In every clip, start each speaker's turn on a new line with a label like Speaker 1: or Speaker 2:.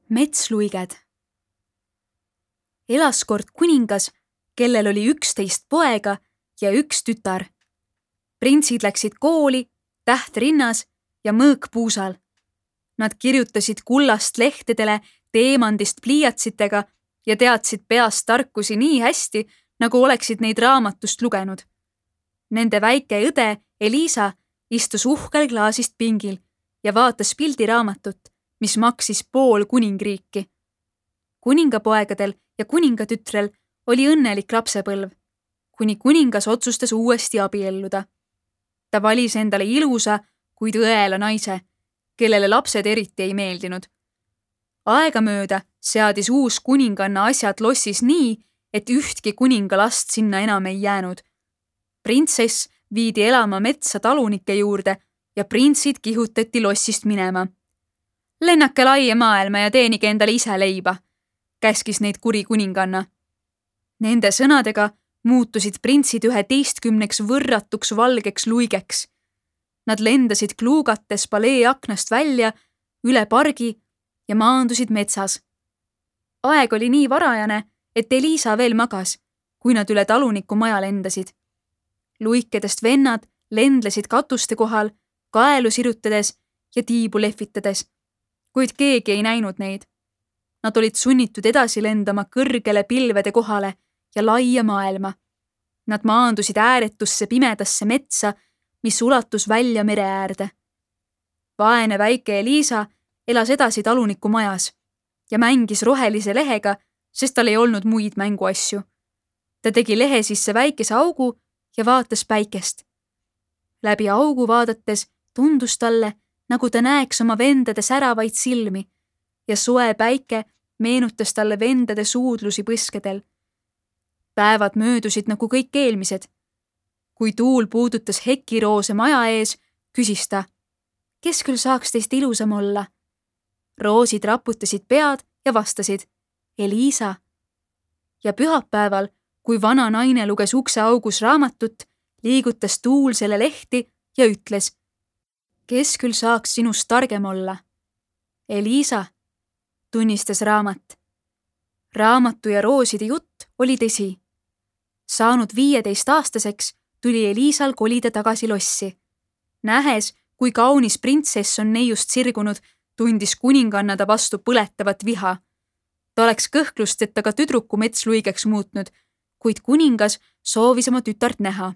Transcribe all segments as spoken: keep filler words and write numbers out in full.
Speaker 1: Metsluiged. Elas kord kuningas, kellel oli üksteist poega ja üks tütar. Printsid läksid kooli, täht rinnas ja mõõk puusal. Nad kirjutasid kullast lehtedele teemandist pliiatsitega ja teadsid peast tarkusi nii hästi, nagu oleksid neid raamatust lugenud. Nende väike õde Elisa istus uhkel klaasist pingil ja vaatas pildiraamatut, mis maksis pool kuningriiki. Kuningapoegadel ja kuningatütrel oli õnnelik lapsepõlv, kuni kuningas otsustas uuesti abielluda. Ta valis endale ilusa, kuid õela naise, kellele lapsed eriti ei meeldinud. Aegamööda seadis uus kuninganna asjad lossis nii, et ühtki kuningalast sinna enam ei jäänud. Printsess viidi elama metsa talunike juurde ja printsid kihutati lossist minema. Lennake laia maailma ja teenige endale ise leiba, käskis neid kuri kuninganna. Nende sõnadega muutusid printsid üheteistkümneks võrratuks valgeks luigeks. Nad lendasid kluugates palee aknast välja, üle pargi ja maandusid metsas. Aeg oli nii varajane, et Elisa veel magas, kui nad üle taluniku maja lendasid. Luikedest vennad lendlesid katuste kohal, kaelu sirutades ja tiibu lehvitades, kuid keegi ei näinud neid. Nad olid sunnitud edasi lendama kõrgele pilvede kohale ja laia maailma. Nad maandusid ääretusse pimedasse metsa, mis ulatus välja mere äärde. Vaene väike Elisa elas edasi taluniku majas ja mängis rohelise lehega, sest tal ei olnud muid mänguasju. Ta tegi lehe sisse väikese augu ja vaatas päikest. Läbi augu vaadates tundus talle, nagu ta näeks oma vendade säravaid silmi ja soe päike meenutas talle vendade suudlusi põskedel. Päevad möödusid nagu kõik eelmised. Kui tuul puudutas hekiroose maja ees, küsis ta, kes küll saaks teist ilusam olla? Roosid raputasid pead ja vastasid, Elisa. Ja pühapäeval, kui vana naine luges ukse augus raamatut, liigutas tuul selle lehti ja ütles, kes küll saaks sinust targem olla? Elisa, tunnistas raamat. Raamatu ja rooside jutt oli tõsi. Saanud viieteist aastaseks, tuli Elisal kolida tagasi lossi. Nähes, kui kaunis printsess on neiust sirgunud, tundis kuninganna ta vastu põletavat viha. Ta oleks kõhklusteta ka tüdruku metsluigeks muutnud, kuid kuningas soovis oma tütart näha.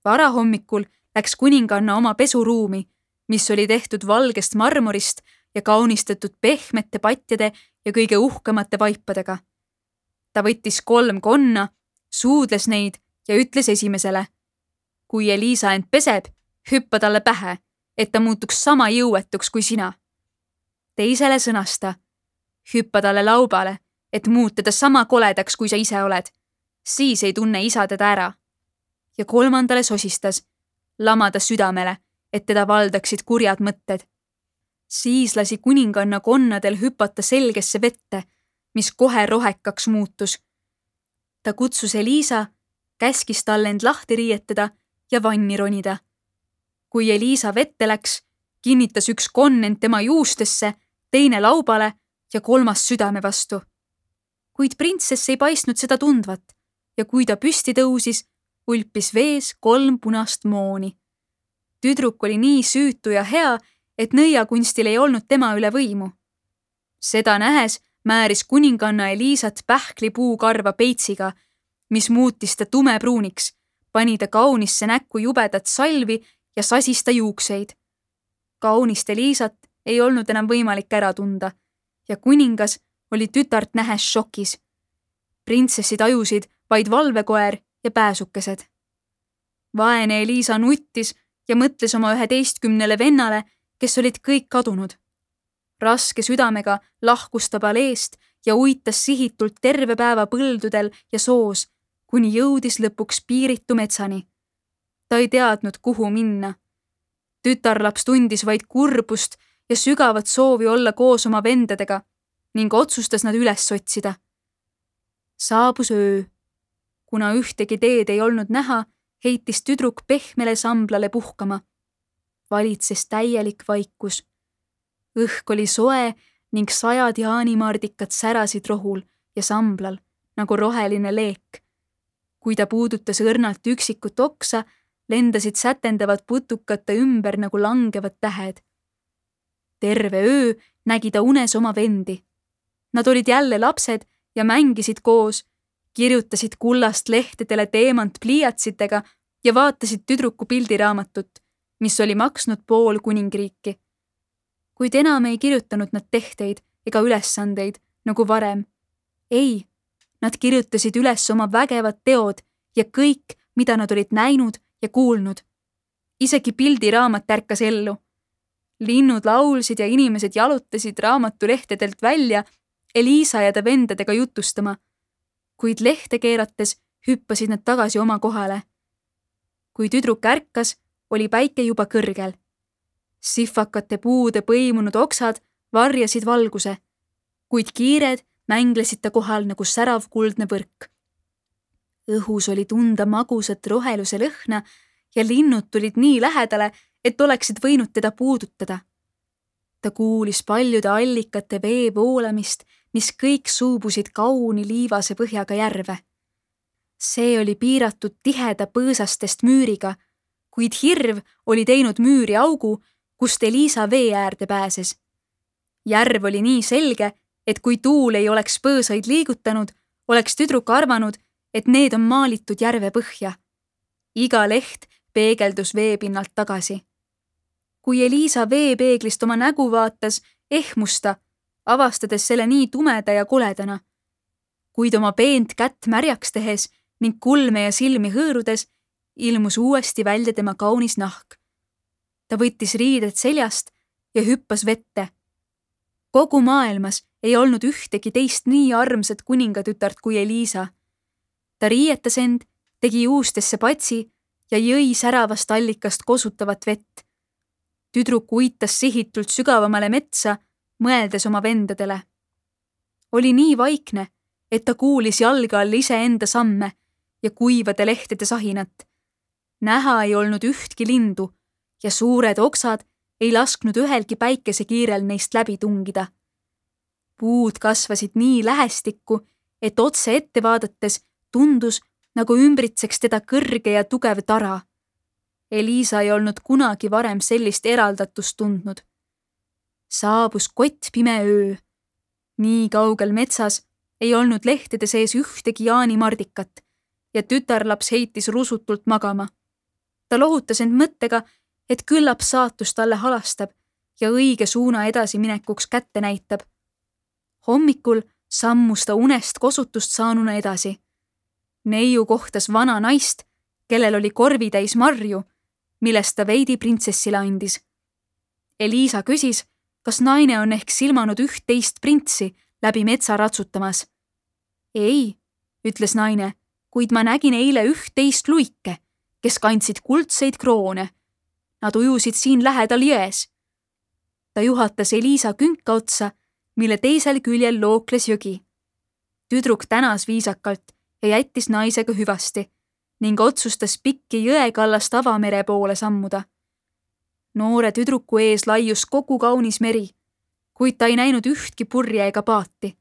Speaker 1: Varahommikul läks kuninganna oma pesuruumi, mis oli tehtud valgest marmorist ja kaunistatud pehmete patjade ja kõige uhkemate vaipadega. Ta võttis kolm konna, suudles neid ja ütles esimesele, kui Elisa end peseb, hüppa talle pähe, et ta muutuks sama jõuetuks kui sina. Teisele sõnas ta, hüppa talle laubale, et muuta ta sama koledaks, kui sa ise oled. Siis ei tunne isa teda ära. Ja kolmandale sosistas, lamada südamele, et teda valdaksid kurjad mõtted. Siis lasi kuninganna konnadel hüpata selgesse vette, mis kohe rohekaks muutus. Ta kutsus Elisa, käskis talle end lahti riietada ja vanni ronida. Kui Elisa vette läks, kinnitas üks konn end tema juustesse, teine laubale ja kolmas südame vastu. Kuid printsess ei paistnud seda tundvat ja kui ta püsti tõusis, ulpis vees kolm punast mooni. Tüdruk oli nii süütu ja hea, et nõiakunstil ei olnud tema üle võimu. Seda nähes määris kuninganna Elisat pähklipuu karva peitsiga, mis muutis ta tumepruuniks, pani ta kaunisse näkku jubedat salvi ja sasis ta juukseid. Kaunist Elisat ei olnud enam võimalik ära tunda ja kuningas oli tütart nähes šokis. Printsessid ajusid vaid valvekoer ja pääsukesed. Vaene Elisa nuttis ja mõtles oma üheteistkümnele vennale, kes olid kõik kadunud. Raske südamega lahkus ta paleest ja uitas sihitult terve päeva põldudel ja soos, kuni jõudis lõpuks piiritu metsani. Ta ei teadnud, kuhu minna. Tütarlaps tundis vaid kurbust ja sügavat soovi olla koos oma vendadega ning otsustas nad üles otsida. Saabus öö. Kuna ühtegi teed ei olnud näha, heitis tüdruk pehmele samblale puhkama. Valitses täielik vaikus. Õhk oli soe ning sajad jaanimardikad särasid rohul ja samblal nagu roheline leek. Kui ta puudutas õrnalt üksikut oksa, lendasid sätendavad putukate ümber nagu langevad tähed. Terve öö nägi ta unes oma vendi. Nad olid jälle lapsed ja mängisid koos, kirjutasid kullast lehtedele teemant pliiatsitega ja vaatasid tüdruku pildiraamatut, mis oli maksnud pool kuningriiki. Kuid enam ei kirjutanud nad tehteid ega ülesandeid nagu varem. Ei, nad kirjutasid üles oma vägevad teod ja kõik, mida nad olid näinud ja kuulnud. Isegi pildiraamat ärkas ellu. Linnud laulsid ja inimesed jalutasid raamatulehtedelt välja Eliisa ja ta vendadega jutustama, kuid lehte keerates hüppasid nad tagasi oma kohale. Kui tüdruk ärkas, oli päike juba kõrgel. Sihvakate puude põimunud oksad varjasid valguse, kuid kiired mänglesid ta kohal nagu särav kuldne võrk. Õhus oli tunda magusat roheluse lõhna ja linnud tulid nii lähedale, et oleksid võinud teda puudutada. Ta kuulis paljude allikate vee voolamist, mis kõik suubusid kauni liivase põhjaga järve. See oli piiratud tiheda põõsastest müüriga, kuid hirv oli teinud müüri augu, kust Eliisa vee äärde pääses. Järv oli nii selge, et kui tuul ei oleks põõsaid liigutanud, oleks tüdruk arvanud, et need on maalitud järve põhja. Iga leht peegeldus veepinnalt tagasi. Kui Eliisa veepeeglist oma nägu vaatas, ehmus ta, avastades selle nii tumeda ja koledana. Kuid oma peent kätt märjaks tehes ning kulme ja silmi hõõrudes, ilmus uuesti välja tema kaunis nahk. Ta võttis riided seljast ja hüppas vette. Kogu maailmas ei olnud ühtegi teist nii armsat kuningatütart kui Eliisa. Ta riietas end, tegi juustesse patsi ja jõi säravast allikast kosutavat vett. Tüdruk uitas sihitult sügavamale metsa, mõeldes oma vendadele. Oli nii vaikne, et ta kuulis jalga all iseenda samme ja kuivade lehtede sahinat. Näha ei olnud ühtki lindu ja suured oksad ei lasknud ühelgi päikesekiirel neist läbi tungida. Puud kasvasid nii lähestikku, et otse ette vaadates tundus, nagu ümbritseks teda kõrge ja tugev tara. Eliisa ei olnud kunagi varem sellist eraldatust tundnud. Saabus kottpime öö. Nii kaugel metsas ei olnud lehtede sees ühtegi jaanimardikat ja tütarlaps heitis rusutult magama. Ta lohutas end mõttega, et küllap saatus talle halastab ja õige suuna edasiminekuks kätte näitab. Hommikul sammus ta unest kosutust saanuna edasi. Neiu kohtas vana naist, kellel oli korvitäis marju, millest ta veidi printsessile andis. Eliisa küsis, kas naine on ehk silmanud üht-teist printsi läbi metsa ratsutamas. Ei, ütles naine, kuid ma nägin eile üht-teist luike, kes kandsid kuldseid kroone. Nad ujusid siin lähedal jões. Ta juhatas Eliisa künka otsa, mille teisel küljel lookles jõgi. Tüdruk tänas viisakalt ja jättis naisega hüvasti ning otsustas pikki jõekallast avamere poole sammuda. Noore tüdruku ees laius kogu kaunis meri, kuid ta ei näinud ühtki purje ega paati.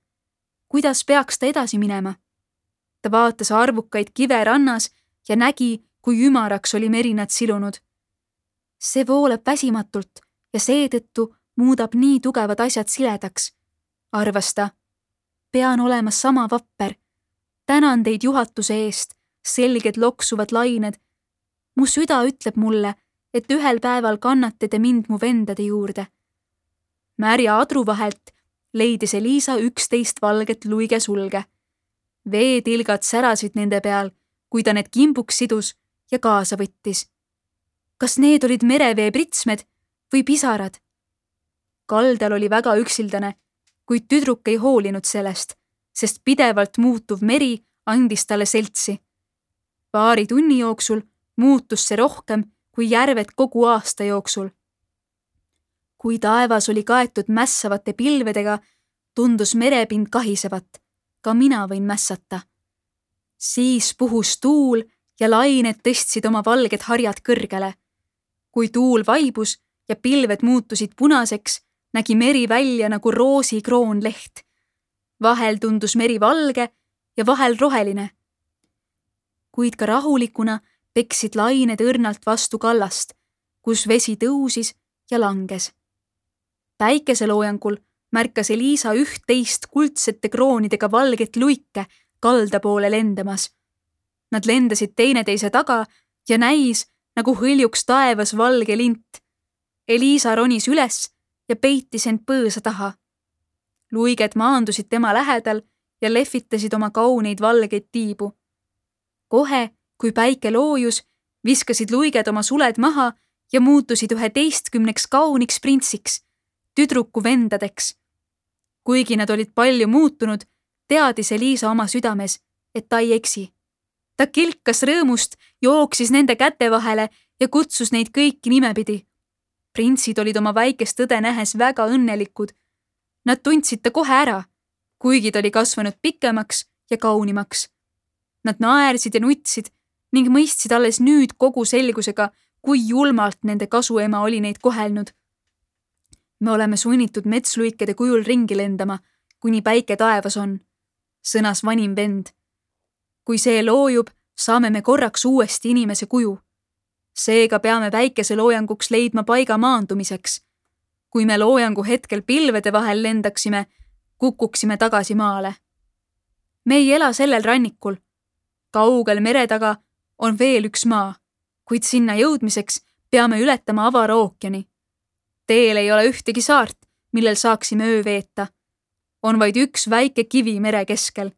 Speaker 1: Kuidas peaks ta edasi minema? Ta vaatas arvukaid kive rannas ja nägi, kui ümaraks oli meri nad silunud. See voolab väsimatult ja seetõttu muudab nii tugevad asjad siledaks, arvas ta. Pean olema sama vapper. Tänan teid juhatuse eest, selged loksuvad lained. Mu süda ütleb mulle, et ühel päeval kannate te mind mu vendade juurde. Märja adru vahelt leidis Eliisa üksteist valget luige sulge. Veetilgad särasid nende peal, kui ta need kimbuks sidus ja kaasa võttis. Kas need olid merevee pritsmed või pisarad? Kaldal oli väga üksildane, kuid tüdruk ei hoolinud sellest, sest pidevalt muutuv meri andis talle seltsi. Paari tunni jooksul muutus see rohkem kui järved kogu aasta jooksul. Kui taevas oli kaetud mässavate pilvedega, tundus merepind kahisevat. Ka mina võin mässata. Siis puhus tuul ja lained tõstsid oma valged harjad kõrgele. Kui tuul vaibus ja pilved muutusid punaseks, nägi meri välja nagu roosikroonleht. Vahel tundus meri valge ja vahel roheline. Kuid ka rahulikuna peksid lained õrnalt vastu kallast, kus vesi tõusis ja langes. Päikeseloojangul märkas Eliisa üht-teist kuldsete kroonidega valget luike kalda poole lendamas. Nad lendasid teineteise taga ja näis, nagu hõljuks taevas valge lint. Eliisa ronis üles ja peitis end põõsa taha. Luiged maandusid tema lähedal ja lehvitasid oma kauneid valgeid tiibu. Kohe, kui päike loojus, viskasid luiged oma suled maha ja muutusid üheteistkümneks kauniks printsiks, tüdruku vendadeks. Kuigi nad olid palju muutunud, teadis Eliisa oma südames, et ta ei eksi. Ta kilkas rõõmust, jooksis nende käte vahele ja kutsus neid kõiki nimepidi. Printsid olid oma väikest õde nähes väga õnnelikud. Nad tundsid ta kohe ära, kuigi ta oli kasvanud pikemaks ja kaunimaks. Nad naersid ja nutsid ning mõistsid alles nüüd kogu selgusega, kui julmalt nende kasuema oli neid kohelnud. Me oleme sunnitud metsluikede kujul ringi lendama, kuni päike taevas on, sõnas vanim vend. Kui see loojub, saame me korraks uuesti inimese kuju. Seega peame päikese loojanguks leidma paiga maandumiseks. Kui me loojangu hetkel pilvede vahel lendaksime, kukuksime tagasi maale. Me ei ela sellel rannikul. Kaugel mere taga on veel üks maa, kuid sinna jõudmiseks peame ületama avara ookeani. Teel ei ole ühtegi saart, millel saaksime öö veeta. On vaid üks väike kivi mere keskel.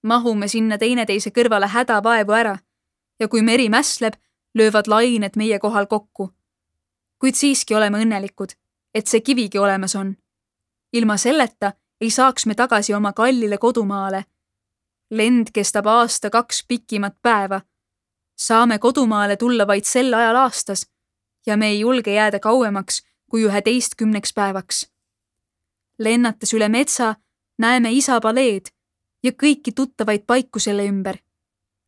Speaker 1: Mahume sinna teineteise kõrvale hädavaevu ära ja kui meri mässleb, löövad lained meie kohal kokku. Kuid siiski oleme õnnelikud, et see kivigi olemas on. Ilma selleta ei saaks me tagasi oma kallile kodumaale. Lend kestab aasta kaks pikimat päeva. Saame kodumaale tulla vaid sel ajal aastas ja me ei julge jääda kauemaks kui üheteistkümneks päevaks. Lennates üle metsa näeme isa paleed ja kõiki tuttavaid paiku selle ümber.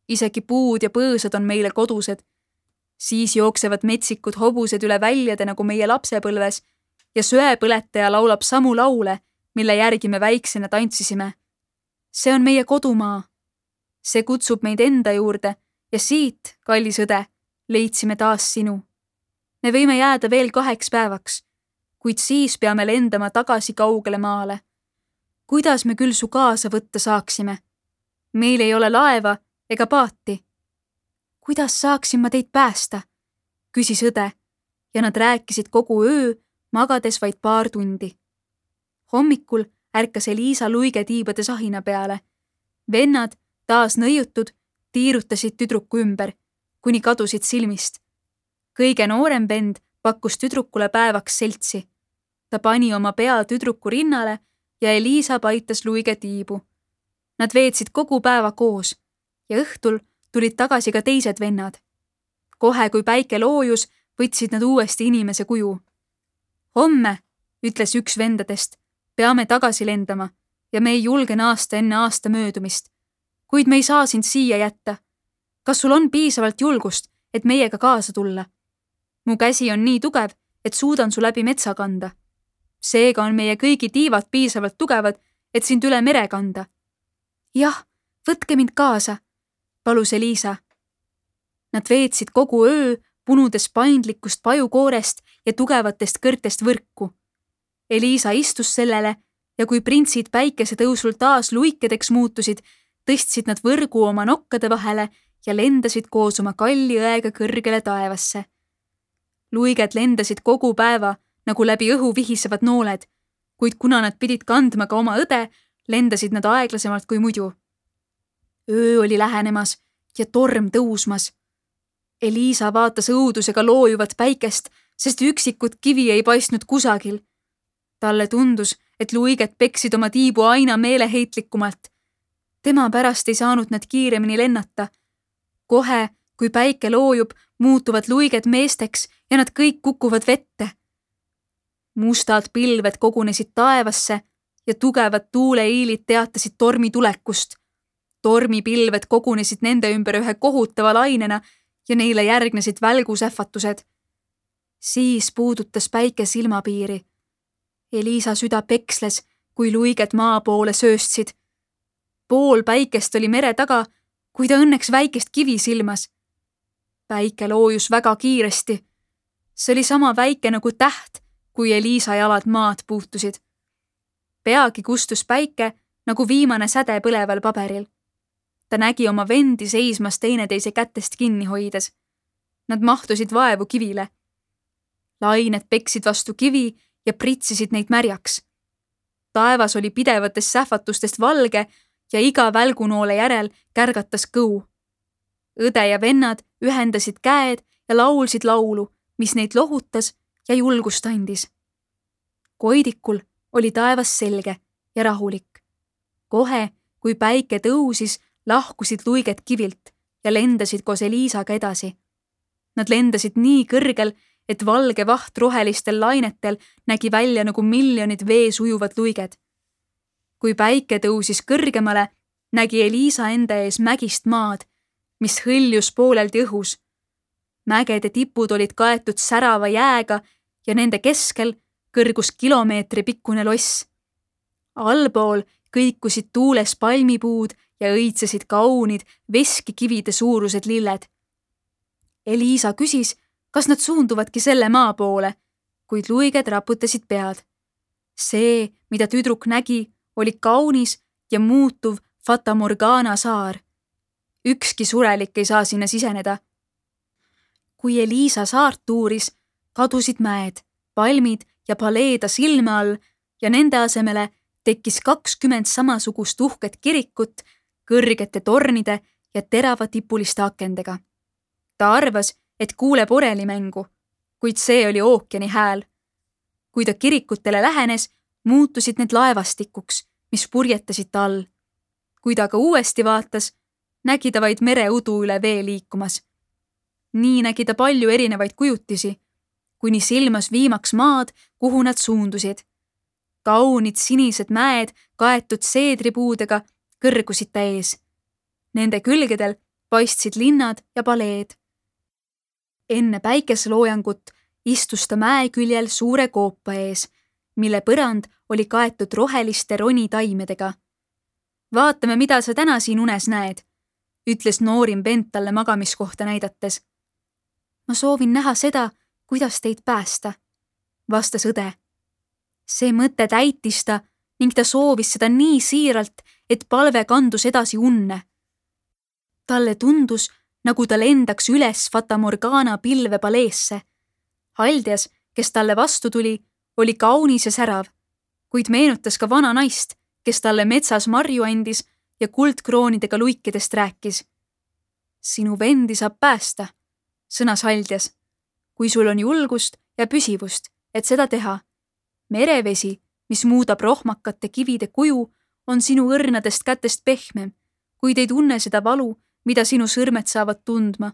Speaker 1: Isegi puud ja põõsad on meile kodused. Siis jooksevad metsikud hobused üle väljade nagu meie lapsepõlves ja söepõletaja laulab samu laule, mille järgi me väiksena tantsisime. See on meie kodumaa. See kutsub meid enda juurde ja siit, kallis õde, leidsime taas sinu. Me võime jääda veel kaheks päevaks, kuid siis peame lendama tagasi kaugele maale. Kuidas me küll su kaasa võtta saaksime? Meil ei ole laeva ega paati. Kuidas saaksin ma teid päästa? Küsis õde ja nad rääkisid kogu öö, magades vaid paar tundi. Hommikul ärkas Eliisa luigetiibade sahina peale. Vennad, taas nõiutud, tiirutasid tüdruku ümber, kuni kadusid silmist. Kõige noorem vend pakkus tüdrukule päevaks seltsi. Ta pani oma pea tüdruku rinnale ja Eliisa paitas luigetiibu. Nad veetsid kogu päeva koos ja õhtul tulid tagasi ka teised vennad. Kohe, kui päike loojus, võtsid nad uuesti inimese kuju. Homme, ütles üks vendadest, peame tagasi lendama ja me ei julge naasta enne aasta möödumist. Kuid me ei saa sind siia jätta. Kas sul on piisavalt julgust, et meiega kaasa tulla? Mu käsi on nii tugev, et suudan su läbi metsa kanda. Seega on meie kõigi tiivad piisavalt tugevad, et sind üle mere kanda. Jah, võtke mind kaasa, palus Eliisa. Nad veetsid kogu öö, punudes paindlikust pajukoorest ja tugevatest kõrtest võrku. Eliisa istus sellele ja kui printsid päikese tõusul taas luikedeks muutusid, tõstsid nad võrgu oma nokkade vahele ja lendasid koos oma kalli õega kõrgele taevasse. Luiged lendasid kogu päeva, nagu läbi õhu vihisevad nooled, kuid kuna nad pidid kandma ka oma õde, lendasid nad aeglasemalt kui muidu. Öö oli lähenemas ja torm tõusmas. Eliisa vaatas õudusega loojuvat päikest, sest üksikud kivi ei paistnud kusagil. Talle tundus, et luiged peksid oma tiibu aina meeleheitlikumalt. Tema pärast ei saanud nad kiiremini lennata. Kohe, kui päike loojub, muutuvad luiged meesteks ja nad kõik kukuvad vette. Mustad pilved kogunesid taevasse ja tugevad tuuleiilid teatasid tormi tulekust. Tormipilved kogunesid nende ümber ühe kohutava lainena ja neile järgnesid välgusähvatused. Siis puudutas päike silmapiiri. Eliisa süda peksles, kui luiged maa poole sööstsid. Pool päikest oli mere taga, kui ta õnneks väikest kivi silmas. Päike loojus väga kiiresti. See oli sama väike nagu täht, kui Eliisa jalad maad puutusid. Peagi kustus päike nagu viimane säde põleval paberil. Ta nägi oma vendi seismas teineteise kätest kinni hoides. Nad mahtusid vaevu kivile. Lained peksid vastu kivi ja pritsisid neid märjaks. Taevas oli pidevatest sähvatustest valge ja iga välgunoole järel kärgatas kõu. Õde ja vennad ühendasid käed ja laulsid laulu, mis neid lohutas ja julgust andis. Koidikul oli taevas selge ja rahulik. Kohe, kui päike tõusis, lahkusid luiged kivilt ja lendasid koos Eliisaga edasi. Nad lendasid nii kõrgel, et valge vaht rohelistel lainetel nägi välja nagu miljonid vees ujuvad luiged. Kui päike tõusis kõrgemale, nägi Eliisa enda ees mägist maad, mis hõljus pooleldi õhus. Mägede tipud olid kaetud särava jääga ja nende keskel kõrgus kilomeetri pikkune loss. Allpool kõikusid tuules palmipuud ja õitsesid kaunid veskikivide suurused lilled. Eliisa küsis, kas nad suunduvadki selle maa poole, kuid luiged raputasid pead. See, mida tüdruk nägi, oli kaunis ja muutuv Fata Morgana saar. Ükski surelik ei saa sinna siseneda. Kui Eliisa saart tuuris, kadusid mäed, palmid ja paleeda silme all ja nende asemele tekkis kakskümmend samasugust uhket kirikut kõrgete tornide ja teravatipuliste akendega. Ta arvas, et kuuleb orelimängu, kuid see oli ookeani hääl. Kui ta kirikutele lähenes, muutusid need laevastikuks, mis purjetasid ta all. Kui ta ka uuesti vaatas, nägi ta vaid mereudu üle vee liikumas. Nii nägi ta palju erinevaid kujutisi, kuni silmas viimaks maad, kuhu nad suundusid. Kaunid sinised mäed, kaetud seedripuudega, kõrgusid ta ees. Nende külgedel paistsid linnad ja paleed. Enne päikeseloojangut istus ta mäe küljel suure koopa ees, mille põrand oli kaetud roheliste ronitaimedega. Vaatame, mida sa täna siin unes näed, ütles noorim vend talle magamiskohta näidates. Ma soovin näha seda, kuidas teid päästa, vastas õde. See mõte täitis ta ning ta soovis seda nii siiralt, et palve kandus edasi unne. Talle tundus, nagu ta lendaks üles Fata Morgana pilvepaleesse. Haldias, kes talle vastu tuli, oli kaunis ja särav, kuid meenutas ka vana naist, kes talle metsas marju andis ja kuldkroonidega luikidest rääkis. Sinu vendi saab päästa, sõnas Haldias, kui sul on julgust ja püsivust, et seda teha. Merevesi, mis muudab rohmakate kivide kuju, on sinu õrnadest kätest pehmem, kuid ei tunne seda valu, mida sinu sõrmed saavad tundma.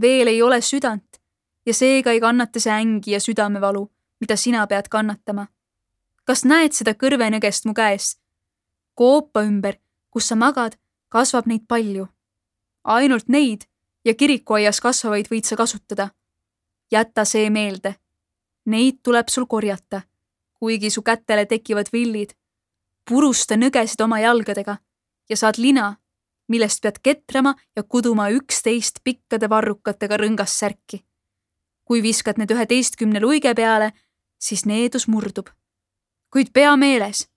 Speaker 1: Veel ei ole südant ja seega ei kannata see ängi ja südamevalu, mida sina pead kannatama. Kas näed seda kõrvenõgest mu käes? Koopa ümber, kus sa magad, kasvab neid palju. Ainult neid ja kirikuaias kasvavaid võid sa kasutada. Jäta see meelde. Neid tuleb sul korjata, kuigi su kätele tekivad villid. Purusta nõgesid oma jalgadega ja saad lina, millest pead ketrama ja kuduma üksteist pikkade varrukatega rõngas särki. Kui viskad need üheteistkümne luige peale, siis needus murdub. Kuid pea meeles,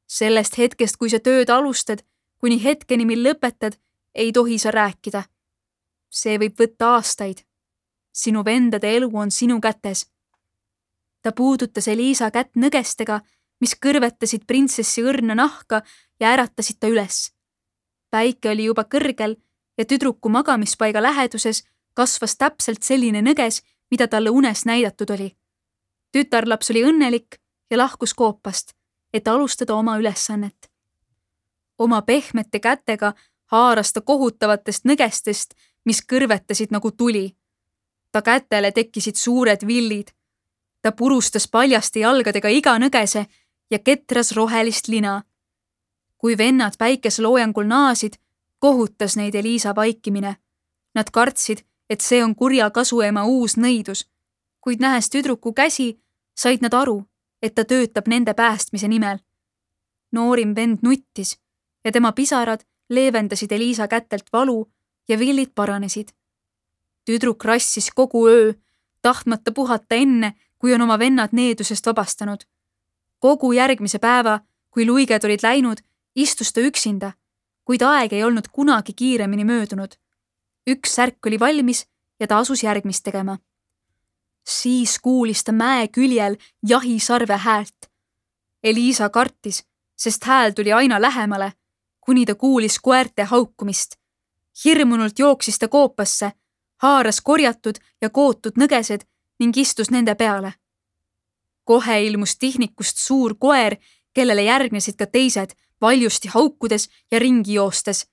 Speaker 1: sellest hetkest, kui sa tööd alustad, kuni hetkeni, mil lõpetad, ei tohi sa rääkida. See võib võtta aastaid. Sinu vendade elu on sinu kätes. Ta puudutas Eliisa kätt nõgestega, mis kõrvetasid printsessi õrna nahka ja äratasid ta üles. Päike oli juba kõrgel ja tüdruku magamispaiga läheduses kasvas täpselt selline nõges, mida talle unes näidatud oli. Tütarlaps oli õnnelik ja lahkus koopast, et alustada oma ülesannet. Oma pehmete kätega haaras ta kohutavatest nõgestest, mis kõrvetasid nagu tuli. Ta kätele tekkisid suured villid. Ta purustas paljaste jalgadega iga nõgese ja ketras rohelist lina. Kui vennad päikeseloojangul naasid, kohutas neid Eliisa vaikimine. Nad kartsid, et see on kurja kasuema uus nõidus, kuid nähes tüdruku käsi, said nad aru, et ta töötab nende päästmise nimel. Noorim vend nuttis ja tema pisarad leevendasid Eliisa kätelt valu ja villid paranesid. Tüdruk rassis kogu öö, tahtmata puhata enne, kui on oma vennad needusest vabastanud. Kogu järgmise päeva, kui luiged olid läinud, istus ta üksinda, kuid aeg ei olnud kunagi kiiremini möödunud. Üks särk oli valmis ja ta asus järgmist tegema. Siis kuulis ta mäe küljel jahisarve häält. Eliisa kartis, sest hääl tuli aina lähemale, kuni ta kuulis koerte haukumist. Hirmunult jooksis ta koopasse, haaras korjatud ja kootud nõgesed ning istus nende peale. Kohe ilmus tihnikust suur koer, kellele järgnesid ka teised, valjusti haukudes ja ringi joostes.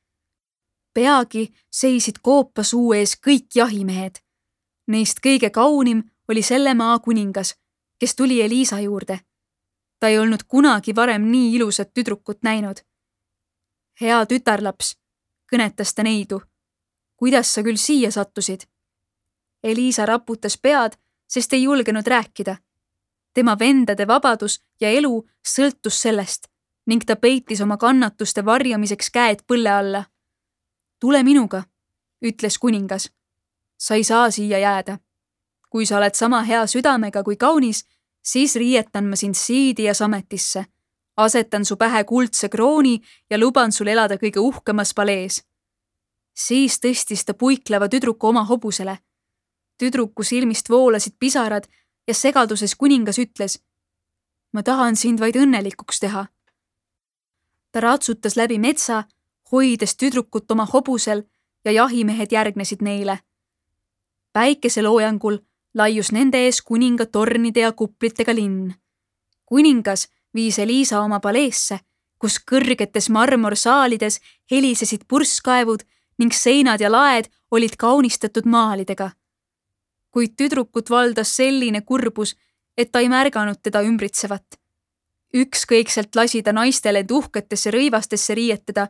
Speaker 1: Peagi seisid koopa suu ees kõik jahimehed. Neist kõige kaunim oli selle maa kuningas, kes tuli Eliisa juurde. Ta ei olnud kunagi varem nii ilusat tüdrukut näinud. Hea tütarlaps, kõnetas ta neidu. Kuidas sa küll siia sattusid? Eliisa raputas pead, sest ei julgenud rääkida. Tema vendade vabadus ja elu sõltus sellest ning ta peitis oma kannatuste varjamiseks käed põlle alla. Tule minuga, ütles kuningas. Sa ei saa siia jääda. Kui sa oled sama hea südamega kui kaunis, siis riietan ma sind siidi ja sametisse. Asetan su pähe kuldse krooni ja luban sul elada kõige uhkemas palees. Siis tõstis ta puikleva tüdruku oma hobusele. Tüdruku silmist voolasid pisarad ja segaduses kuningas ütles, ma tahan sind vaid õnnelikuks teha. Ta ratsutas läbi metsa, hoides tüdrukut oma hobusel ja jahimehed järgnesid neile. Päikeseloojangul laius nende ees kuninga tornide ja kuplitega linn. Kuningas viis Eliisa oma paleesse, kus kõrgetes marmorsaalides helisesid purskkaevud ning seinad ja laed olid kaunistatud maalidega. Kuid tüdrukut valdas selline kurbus, et ta ei märganud teda ümbritsevat. Ükskõikselt lasi ta naistele tuhketesse rõivastesse riietada,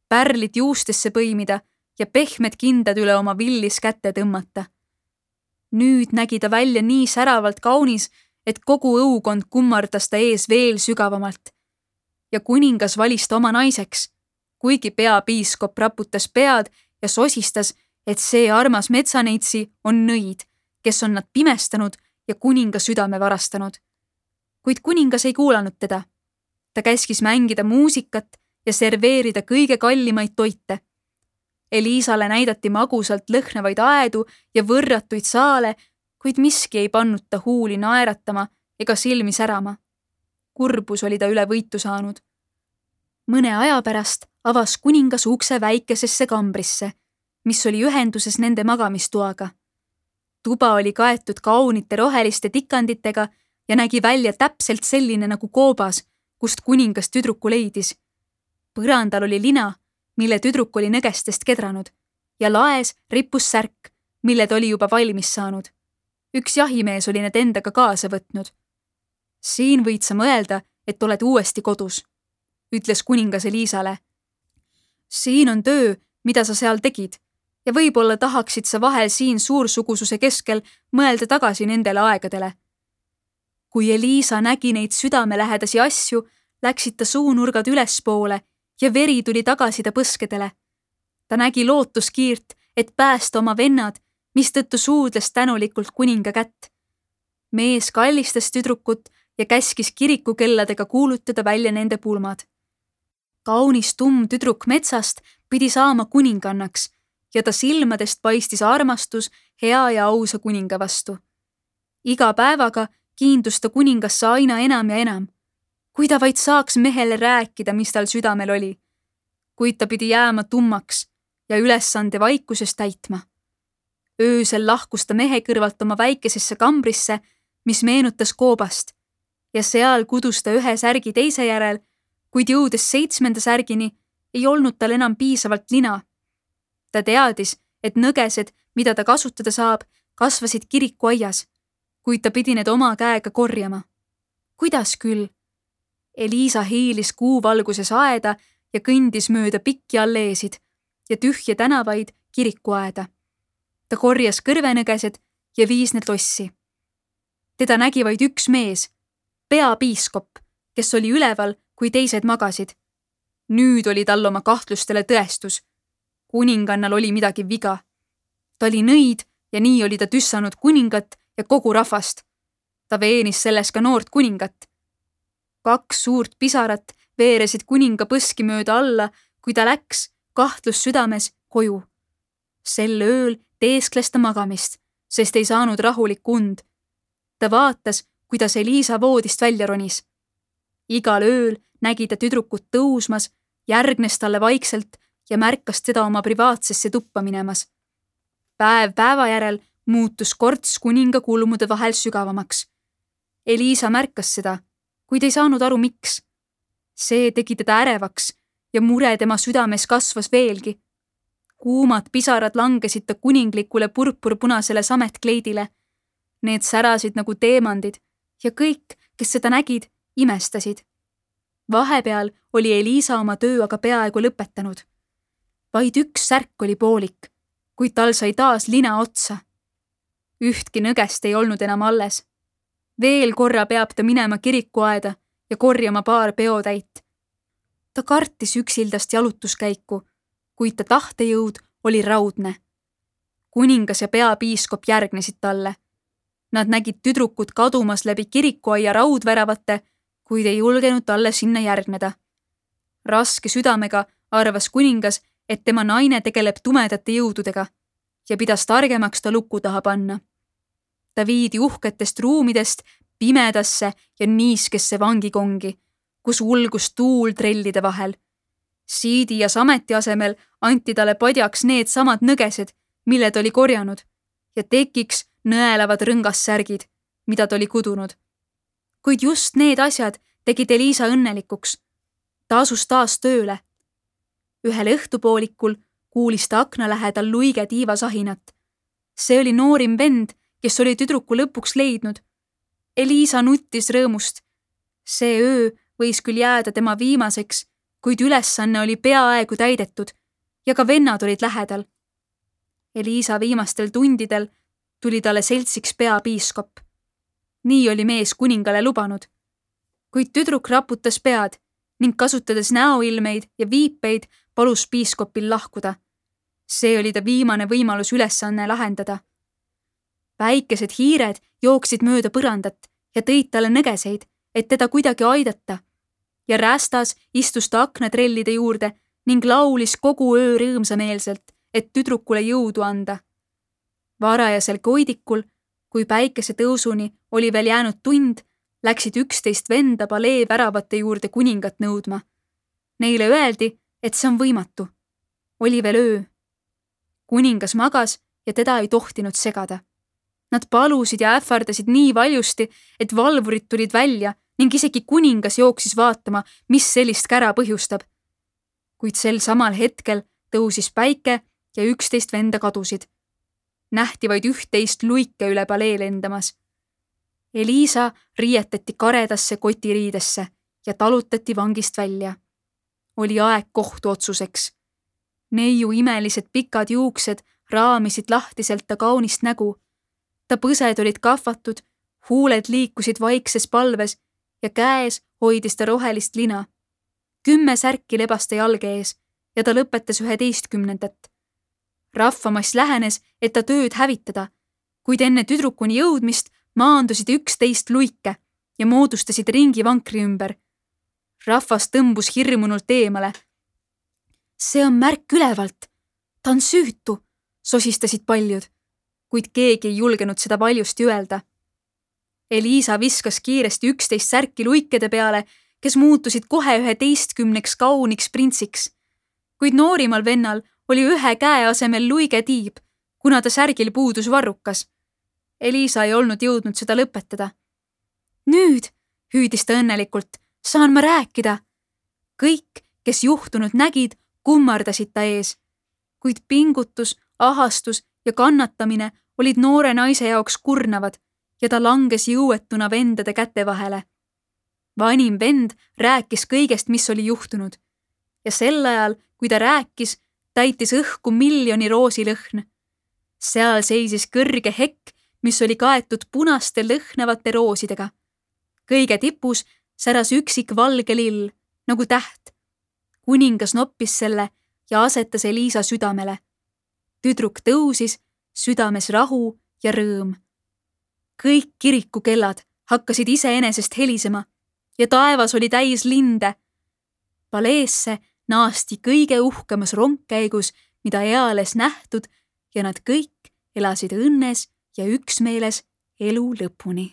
Speaker 1: pärlid juustesse põimida ja pehmed kindad üle oma villis kätte tõmmata. Nüüd nägi ta välja nii säravalt kaunis, et kogu õukond kummardas ta ees veel sügavamalt. Ja kuningas valis ta oma naiseks, kuigi peapiiskop raputas pead ja sosistas, et see armas metsaneitsi on nõid, kes on nad pimestanud ja kuninga südame varastanud. Kuid kuningas ei kuulanud teda. Ta käskis mängida muusikat ja serveerida kõige kallimaid toite. Eliisale näidati magusalt lõhnavaid aedu ja võrratuid saale, kuid miski ei pannud ta huuli naeratama ega silmi särama. Kurbus oli ta üle võitu saanud. Mõne aja pärast avas kuningas ukse väikesesse kambrisse, mis oli ühenduses nende magamistoaga. Tuba oli kaetud kaunite roheliste tikanditega ja nägi välja täpselt selline nagu koobas, kust kuningas tüdruku leidis. Põrandal oli lina, mille tüdruk oli nõgestest kedranud, ja laes rippus särk, mille ta oli juba valmis saanud. Üks jahimees oli need endaga kaasa võtnud. Siin võid sa mõelda, et oled uuesti kodus, ütles kuningas Eliisale. Siin on töö, mida sa seal tegid, ja võib-olla tahaksid sa vahel siin suursugususe keskel mõelda tagasi nendele aegadele. Kui Eliisa nägi neid südamelähedasi asju, läksid ta suunurgad ülespoole ja veri tuli tagasi ta põskedele. Ta nägi lootuskiirt, et päästa oma vennad, mistõttu suudles tänulikult kuninga kätt. Mees kallistas tüdrukut ja käskis kirikukelladega kuulutada välja nende pulmad. Kaunis tumm tüdruk metsast pidi saama kuningannaks ja ta silmadest paistis armastus hea ja ausa kuninga vastu. Iga päevaga kiindus ta kuningasse aina enam ja enam, kui ta vaid saaks mehele rääkida, mis tal südamel oli. Kuid ta pidi jääma tummaks ja ülesande vaikuses täitma. Öösel lahkus ta mehe kõrvalt oma väikesesse kambrisse, mis meenutas koobast, ja seal kudus ta ühe särgi teise järel, kuid jõudes seitsmenda särgini, ei olnud tal enam piisavalt lina. Ta teadis, et nõgesed, mida ta kasutada saab, kasvasid kirikuaias, kuid ta pidi need oma käega korjama. Kuidas küll? Eliisa hiilis kuuvalguses aeda ja kõndis mööda pikki alleesid ja tühje tänavaid kirikuaeda. Ta korjas kõrvenõgesed ja viis need lossi. Teda nägi vaid üks mees, peapiiskop, kes oli üleval, kui teised magasid. Nüüd oli tal oma kahtlustele tõestus. Kuningannal oli midagi viga. Ta oli nõid ja nii oli ta tüssanud kuningat ja kogu rahvast. Ta veenis selles ka noort kuningat. Kaks suurt pisarat veeresid kuninga põski mööda alla, kui ta läks, kahtlus südames, koju. Sel ööl teeskles ta magamist, sest ei saanud rahulikku und. Ta vaatas, kuidas Eliisa voodist välja ronis. Igal ööl nägi ta tüdrukut tõusmas, järgnes talle vaikselt ja märkas teda oma privaatsesse tuppa minemas. Päev päeva järel muutus korts kuninga kulmude vahel sügavamaks. Eliisa märkas seda, kuid ei saanud aru, miks. See tegi teda ärevaks ja mure tema südames kasvas veelgi. Kuumad pisarad langesid ta kuninglikule purpurpunasele sametkleidile. Need särasid nagu teemandid ja kõik, kes seda nägid, imestasid. Vahepeal oli Eliisa oma töö aga peaaegu lõpetanud. Vaid üks särk oli poolik, kuid tal sai taas lina otsa. Ühtki nõgest ei olnud enam alles. Veel korra peab ta minema kirikuaeda ja korjama paar peotäit. Ta kartis üksildast jalutuskäiku, kuid ta tahtejõud oli raudne. Kuningas ja peapiiskop järgnesid talle. Nad nägid tüdrukut kadumas läbi kirikuaia raudväravate, kuid ei julgenud talle sinna järgneda. Raske südamega arvas kuningas, et tema naine tegeleb tumedate jõududega ja pidas targemaks ta luku taha panna. Ta viidi uhketest ruumidest pimedasse ja niiskesse vangikongi, kus ulgus tuul trellide vahel. Siidi ja sameti asemel anti talle padjaks need samad nõgesed, mille ta oli korjanud, ja tekiks nõelavad rõngassärgid, mida ta oli kudunud. Kuid just need asjad tegid Eliisa õnnelikuks. Ta asus taas tööle. Ühel õhtupoolikul kuulis ta akna lähedal luige tiivasahinat. See oli noorim vend, kes oli tüdruku lõpuks leidnud. Eliisa nuttis rõõmust. See öö võis küll jääda tema viimaseks, kuid ülesanne oli peaaegu täidetud ja ka vennad olid lähedal. Eliisa viimastel tundidel tuli talle seltsiks peapiiskop. Nii oli mees kuningale lubanud. Kuid tüdruk raputas pead ning kasutades näoilmeid ja viipeid palus piiskopil lahkuda. See oli ta viimane võimalus ülesanne lahendada. Väikesed hiired jooksid mööda põrandat ja tõid talle nõgeseid, et teda kuidagi aidata. Ja räästas istus ta aknatrellide juurde ning laulis kogu öö rõõmsameelselt, et tüdrukule jõudu anda. Varajasel koidikul, kui päikese tõusuni oli veel jäänud tund, läksid üksteist venda palee väravate juurde kuningat nõudma. Neile öeldi, et see on võimatu. Oli veel öö. Kuningas magas ja teda ei tohtinud segada. Nad palusid ja ähvardasid nii valjusti, et valvurid tulid välja ning isegi kuningas jooksis vaatama, mis sellist kära põhjustab. Kuid sel samal hetkel tõusis päike ja üksteist venda kadusid. Nähti vaid üht-teist luike üle palee lendamas. Eliisa riietati karedasse kotiriidesse ja talutati vangist välja. Oli aeg kohtuotsuseks. Neiu imelised pikad juuksed raamisid lahtiselt ta kaunist nägu. Ta põsed olid kahvatud, huuled liikusid vaikses palves ja käes hoidis ta rohelist lina. Kümme särki lebas ta jalge ees ja ta lõpetas üheteistkümnendat. Rahvamass lähenes, et ta tööd hävitada, kuid enne tüdrukuni jõudmist maandusid üksteist luike ja moodustasid ringi vankri ümber. Rahvas tõmbus hirmunult eemale. See on märk ülevalt. Ta on süütu, sosistasid paljud, kuid keegi ei julgenud seda valjusti öelda. Eliisa viskas kiiresti üksteist särki luikede peale, kes muutusid kohe üheteistkümneks kauniks printsiks. Kuid noorimal vennal oli ühe käe asemel luige tiib, kuna ta särgil puudus varrukas. Eliisa ei olnud jõudnud seda lõpetada. Nüüd, hüüdis ta õnnelikult, saan ma rääkida. Kõik, kes juhtunud nägid, kummardasid ta ees. Kuid pingutus, ahastus ja kannatamine olid noore naise jaoks kurnavad ja ta langes jõuetuna vendade käte vahele. Vanim vend rääkis kõigest, mis oli juhtunud. Ja sel ajal, kui ta rääkis, täitis õhku miljoni roosilõhn. Seal seisis kõrge hekk, mis oli kaetud punaste lõhnavate roosidega. Kõige tipus säras üksik valge lill, nagu täht. Kuningas noppis selle ja asetas Eliisa südamele. Tüdruk tõusis, südames rahu ja rõõm. Kõik kirikukellad hakkasid iseenesest helisema ja taevas oli täis linde. Paleesse naasti kõige uhkemas rongkäigus, mida eales nähtud, ja nad kõik elasid õnnes ja üksmeeles elu lõpuni.